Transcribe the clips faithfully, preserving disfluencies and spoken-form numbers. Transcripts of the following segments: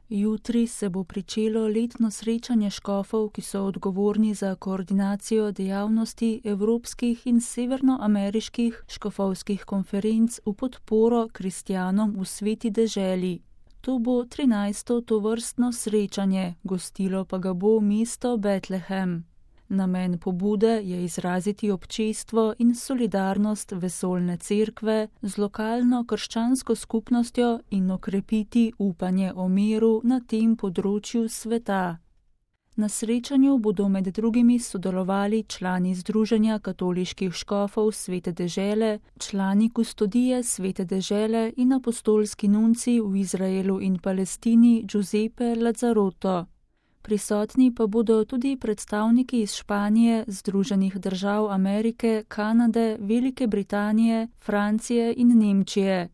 Jutri se bo pričelo letno srečanje škofov, ki so odgovorni za koordinacijo dejavnosti evropskih in severnoameriških škofovskih konferenc v podporo kristjanom v sveti deželi. To bo trinajsto tovrstno srečanje, gostilo pa ga bo mesto Betlehem. Namen pobude je izraziti občestvo in solidarnost vesoljne cerkve z lokalno krščansko skupnostjo in okrepiti upanje o miru na tem področju sveta. Na srečanju bodo med drugimi sodelovali člani Združenja katoliških škofov Svete dežele, člani kustodije Svete dežele in apostolski nunci v Izraelu in Palestini Giuseppe Lazzaroto. Prisotni pa bodo tudi predstavniki iz Španije, Združenih držav Amerike, Kanade, Velike Britanije, Francije in Nemčije.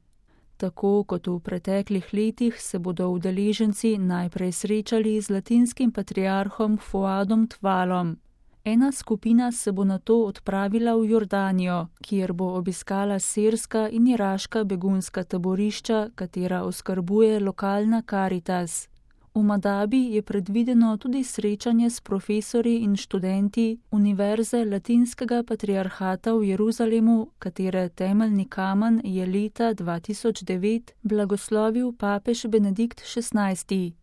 Tako kot v preteklih letih se bodo udeleženci najprej srečali z latinskim patriarhom Fuadom Tvalom. Ena skupina se bo nato odpravila v Jordanijo, kjer bo obiskala sirska in iraška begunska taborišča, katera oskrbuje lokalna Karitas. V Madabi je predvideno tudi srečanje s profesorji in študenti Univerze Latinskega patriarhata v Jeruzalemu, katere temeljni kamen je leta dva tisoč devet blagoslovil papež Benedikt šestnajsti.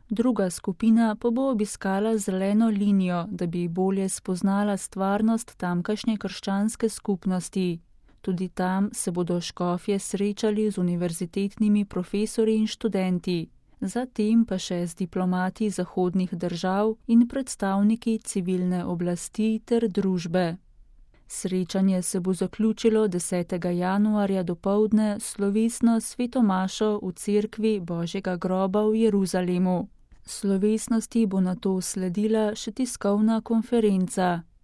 Druga skupina pa bo obiskala zeleno linijo, da bi bolje spoznala stvarnost tamkajšnje krščanske skupnosti. Tudi tam se bodo škofje srečali z univerzitetnimi profesorji in študenti. Zatem pa še z diplomati zahodnih držav in predstavniki civilne oblasti ter družbe. Srečanje se bo zaključilo desetega januarja dopoldne slovesno sveto mašo v cerkvi Božjega groba v Jeruzalemu. Slovesnosti bo nato sledila še tiskovna konferenca.